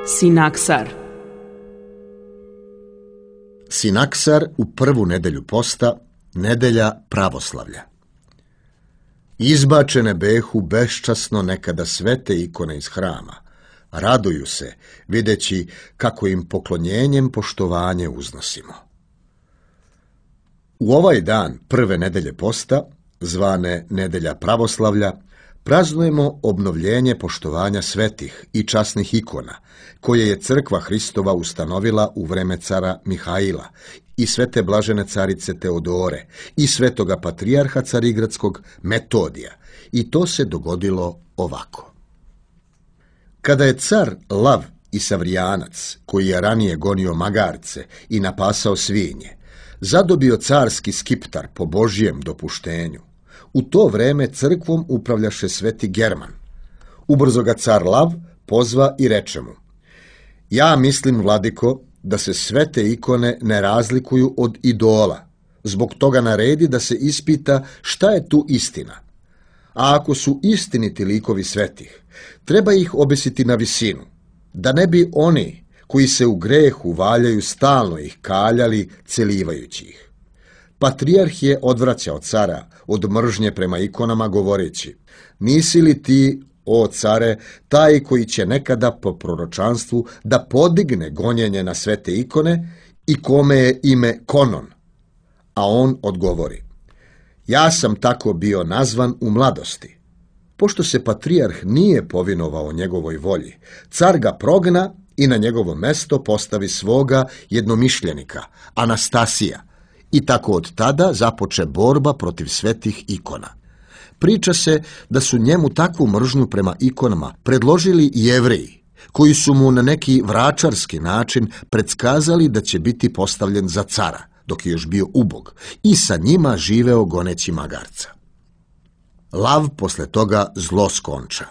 Sinaksar. Sinaksar u prvu nedelju posta, nedelja pravoslavlja. Izbačene behu beščasno nekada svete ikone iz hrama. Raduju se, videći kako im poklonjenjem poštovanje uznosimo. U ovaj dan prve nedelje posta, zvane nedelja pravoslavlja, praznujemo obnovljenje poštovanja svetih i časnih ikona, koje je crkva Hristova ustanovila u vreme cara Mihaila i svete blažene carice Teodore i svetoga patrijarha carigradskog Metodija, i to se dogodilo ovako. Kada je car Lav i Savrijanac, koji je ranije gonio magarce i napasao svinje, zadobio carski skiptar po Božijem dopuštenju, u to vreme crkvom upravljaše sveti German. Ubrzo ga car Lav pozva i reče mu: ja mislim, vladiko, da se svete ikone ne razlikuju od idola, zbog toga naredi da se ispita šta je tu istina. A ako su istiniti likovi svetih, treba ih obesiti na visinu, da ne bi oni koji se u grehu valjaju stalno ih kaljali, celivajući ih. Patrijarh je odvraćao cara od mržnje prema ikonama, govoreći: nisi li ti, o care, taj koji će nekada po proročanstvu da podigne gonjenje na svete ikone i kome je ime Konon? A on odgovori: ja sam tako bio nazvan u mladosti. Pošto se patrijarh nije povinovao njegovoj volji, car ga progna i na njegovo mesto postavi svoga jednomišljenika, Anastasija, i tako od tada započe borba protiv svetih ikona. Priča se da su njemu takvu mržnju prema ikonama predložili Jevreji, koji su mu na neki vračarski način predskazali da će biti postavljen za cara, dok je još bio ubog, i sa njima živeo goneći magarca. Lav posle toga zlo skonča,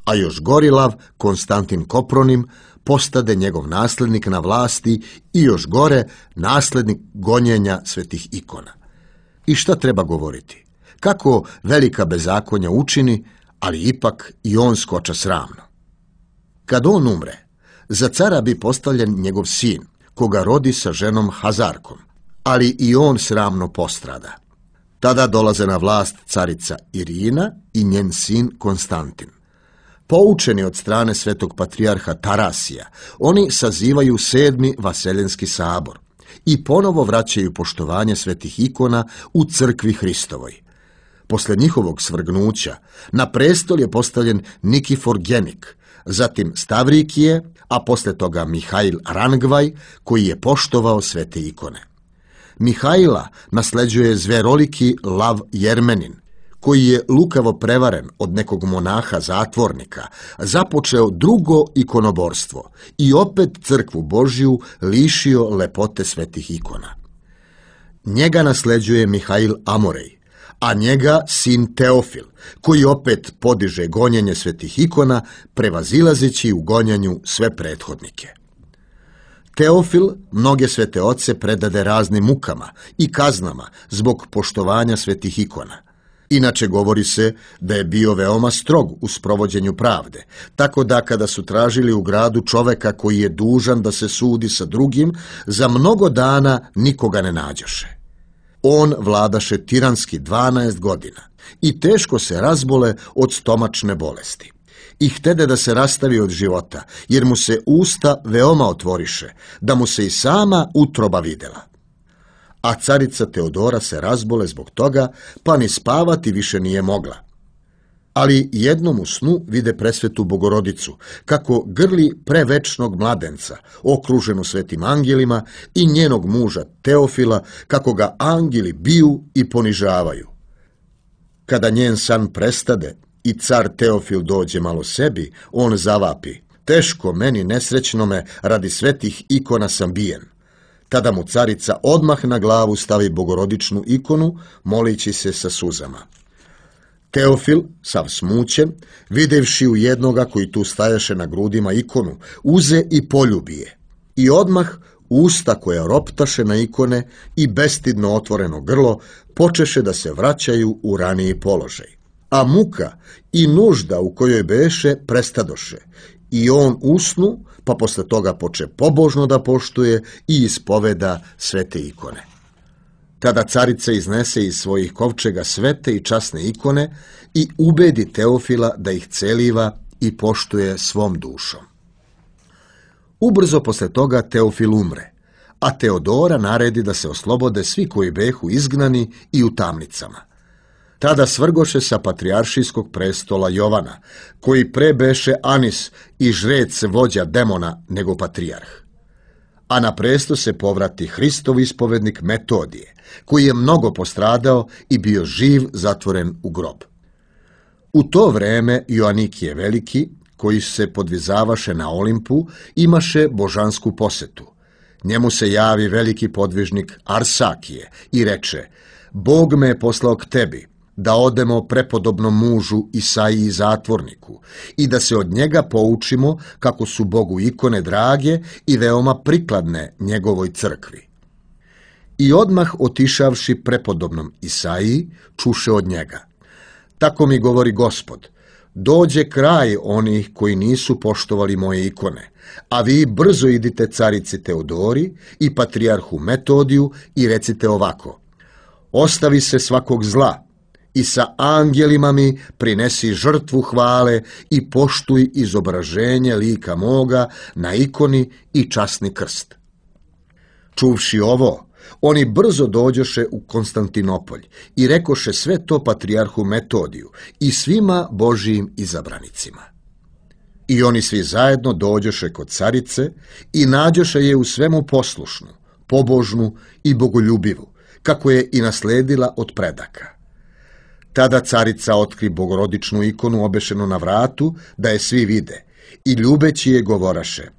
a još gori Lav, Konstantin Kopronim, postade njegov naslednik na vlasti i još gore naslednik gonjenja svetih ikona. I šta treba govoriti? Kako velika bezakonja učini, ali ipak i on skoča sramno. Kad on umre, za cara bi postavljen njegov sin, koga rodi sa ženom Hazarkom, ali i on sramno postrada. Tada dolaze na vlast carica Irina i njen sin Konstantin. Poučeni od strane svetog patrijarha Tarasija, oni sazivaju 7. Vaseljenski sabor i ponovo vraćaju poštovanje svetih ikona u crkvi Hristovoj. Posle njihovog svrgnuća na prestol je postavljen Nikifor Genik, zatim Stavrikije, a posle toga Mihail Rangvaj, koji je poštovao svete ikone. Mihaila nasleđuje zveroliki Lav Jermenin, koji je lukavo prevaren od nekog monaha zatvornika, započeo drugo ikonoborstvo i opet crkvu Božju lišio lepote svetih ikona. Njega nasleđuje Mihail Amorej, a njega sin Teofil, koji opet podiže gonjenje svetih ikona, prevazilazeći u gonjanju sve prethodnike. Teofil mnoge svete oce predade raznim mukama i kaznama zbog poštovanja svetih ikona. Inače govori se da je bio veoma strog u sprovođenju pravde, tako da kada su tražili u gradu čoveka koji je dužan da se sudi sa drugim, za mnogo dana nikoga ne nađoše. On vladaše tiranski 12 godina i teško se razbole od stomačne bolesti. I htede da se rastavi od života, jer mu se usta veoma otvoriše, da mu se i sama utroba videla. A carica Teodora se razbole zbog toga, pa ni spavati više nije mogla. Ali jednom u snu vide presvetu Bogorodicu, kako grli prevečnog mladenca, okruženu svetim angelima, i njenog muža Teofila, kako ga angeli biju i ponižavaju. Kada njen san prestade i car Teofil dođe malo sebi, on zavapi: teško meni nesrećnome, radi svetih ikona sam bijen. Tada mu carica odmah na glavu stavi bogorodičnu ikonu, molići se sa suzama. Teofil, sav smućen, videvši u jednoga koji tu stajaše na grudima ikonu, uze i poljubi je. I odmah usta koja roptaše na ikone i bestidno otvoreno grlo počeše da se vraćaju u raniji položaj. A muka i nužda u kojoj beše prestadoše I on usnu, pa posle toga poče pobožno da poštuje i ispoveda svete ikone. Tada carica iznese iz svojih kovčega svete i časne ikone i ubedi Teofila da ih celiva i poštuje svom dušom. Ubrzo posle toga Teofil umre, a Teodora naredi da se oslobode svi koji behu izgnani i u tamnicama. Tada svrgoše sa patrijaršijskog prestola Jovana, koji pre beše Anis i žrec vođa demona nego patrijarh. A na presto se povrati Hristov ispovednik Metodije, koji je mnogo postradao i bio živ zatvoren u grob. U to vreme Joanikije Veliki, koji se podvizavaše na Olimpu, imaše božansku posetu. Njemu se javi veliki podvižnik Arsakije i reče: Bog me je poslao k tebi, da odemo prepodobnom mužu Isaiji zatvorniku i da se od njega poučimo kako su Bogu ikone drage i veoma prikladne njegovoj crkvi. I odmah otišavši prepodobnom Isaiji, čuše od njega: Tako mi govori Gospod, dođe kraj onih koji nisu poštovali moje ikone, a vi brzo idite carici Teodori i patrijarhu Metodiju i recite ovako: Ostavi se svakog zla i sa angelima mi prinesi žrtvu hvale i poštuj izobraženje lika moga na ikoni i časni krst. Čuvši ovo, oni brzo dođoše u Konstantinopolj i rekoše sve to patrijarhu Metodiju i svima Božijim izabranicima. I oni svi zajedno dođoše kod carice i nađoše je u svemu poslušnu, pobožnu i bogoljubivu, kako je i nasledila od predaka. Tada carica otkri bogorodičnu ikonu obešenu na vratu, da je svi vide, i ljubeći je govoraše: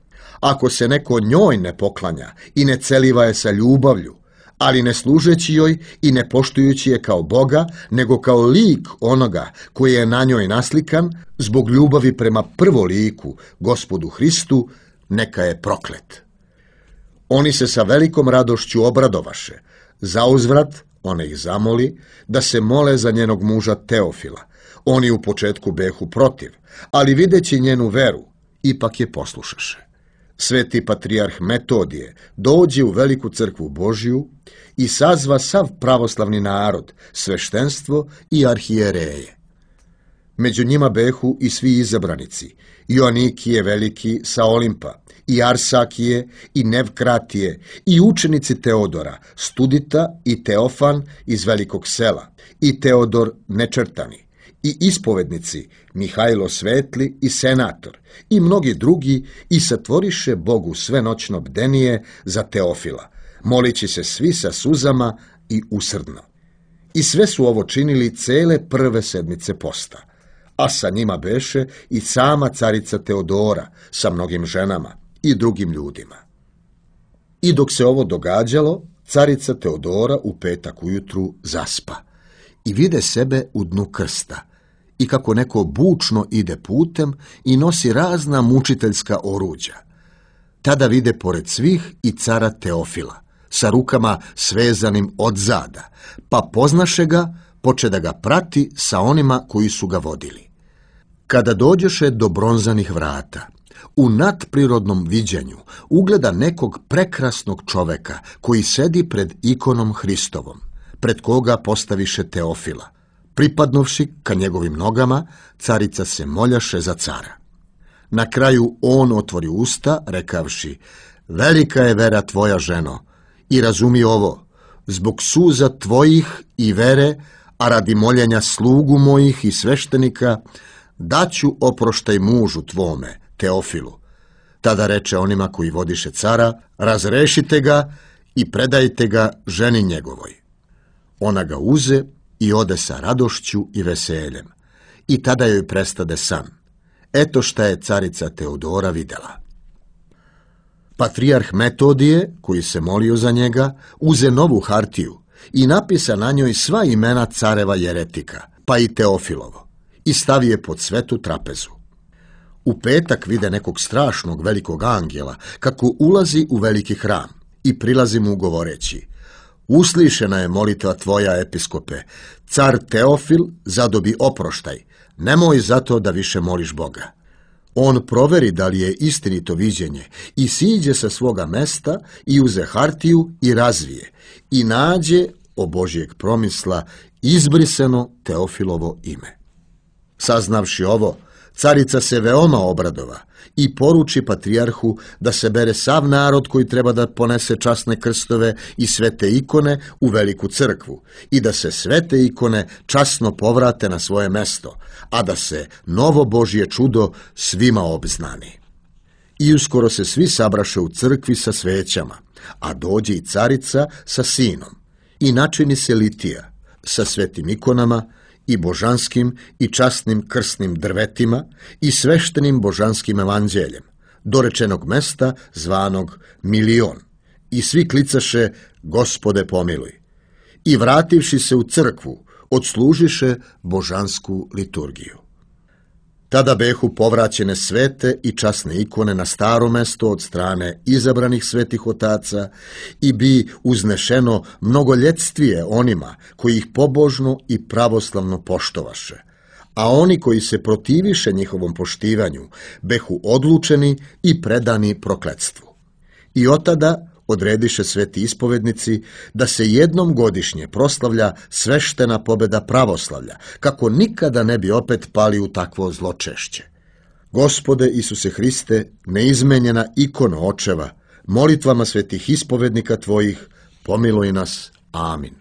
Ako se neko njoj ne poklanja i ne celiva je sa ljubavlju, ali ne služeći joj i ne poštujući je kao Boga, nego kao lik onoga koji je na njoj naslikan, zbog ljubavi prema prvoliku, Gospodu Hristu, neka je proklet. Oni se sa velikom radošću obradovaše. Zauzvrat ona ih zamoli da se mole za njenog muža Teofila. Oni u početku behu protiv, ali videći njenu veru, ipak je poslušaše. Sveti patrijarh Metodije dođe u veliku crkvu Božiju i sazva sav pravoslavni narod, sveštenstvo i arhijereje. Među njima behu i svi izabranici: Joanikije Veliki sa Olimpa, i Arsakije, i Nevkratije, i učenici Teodora, Studita i Teofan iz Velikog sela, i Teodor Nečrtani, i ispovednici Mihajlo Svetli i senator, i mnogi drugi, i satvoriše Bogu svenoćno bdenije za Teofila, molići se svi sa suzama i usrdno. I sve su ovo činili cele prve sedmice posta, a sa njima beše i sama carica Teodora sa mnogim ženama i drugim ljudima. I dok se ovo događalo, carica Teodora u petak ujutru zaspa i vide sebe u dnu krsta i kako neko bučno ide putem i nosi razna mučiteljska oruđa. Tada vide pored svih i cara Teofila, sa rukama svezanim od zada, pa poznaše ga, poče da ga prati sa onima koji su ga vodili. Kada dođoše do bronzanih vrata, u nadprirodnom viđenju ugleda nekog prekrasnog čoveka koji sedi pred ikonom Hristovom, pred koga postaviše Teofila. Pripadnovši ka njegovim nogama, carica se moljaše za cara. Na kraju on otvori usta, rekavši: Velika je vera tvoja, ženo, i razumi ovo, zbog suza tvojih i vere, a radi moljenja slugu mojih i sveštenika, daću oproštaj mužu tvome, Teofilu. Tada reče onima koji vodiše cara: Razrešite ga i predajte ga ženi njegovoj. Ona ga uze i ode sa radošću i veseljem. I tada joj prestade san. Eto šta je carica Teodora videla. Patrijarh Metodije, koji se molio za njega, uze novu hartiju i napisa na njoj sva imena careva jeretika, pa i Teofilovo, i stavi je pod svetu trapezu. U petak vide nekog strašnog velikog angela kako ulazi u veliki hram i prilazi mu govoreći: Uslišena je molitva tvoja, episkope, car Teofil zadobi oproštaj, nemoj zato da više moliš Boga. On proveri da li je istinito viđenje i siđe sa svoga mesta i uze hartiju i razvije i nađe o Božjeg promisla izbrisano Teofilovo ime. Saznavši ovo, carica se veoma obradova i poruči patrijarhu da se bere sav narod koji treba da ponese časne krstove i svete ikone u veliku crkvu i da se svete ikone časno povrate na svoje mesto, a da se novo Božje čudo svima obznani. I uskoro se svi sabraše u crkvi sa svećama, a dođe i carica sa sinom i načini se litija sa svetim ikonama i božanskim i časnim krsnim drvetima i sveštenim božanskim evanđeljem, do rečenog mesta zvanog Milion. I svi klicaše: Gospode pomiluj. I vrativši se u crkvu, odslužiše božansku liturgiju. Tada behu povraćene svete i časne ikone na staro mesto od strane izabranih svetih otaca i bi uznešeno mnogoljetstije onima koji ih pobožno i pravoslavno poštovaše, a oni koji se protiviše njihovom poštivanju behu odlučeni i predani prokletstvu. I otada odrediše sveti ispovednici da se jednom godišnje proslavlja sveštena pobeda pravoslavlja, kako nikada ne bi opet pali u takvo zločešće. Gospode Isuse Hriste, neizmenjena ikona očeva, molitvama svetih ispovednika Tvojih, pomiluj nas. Amin.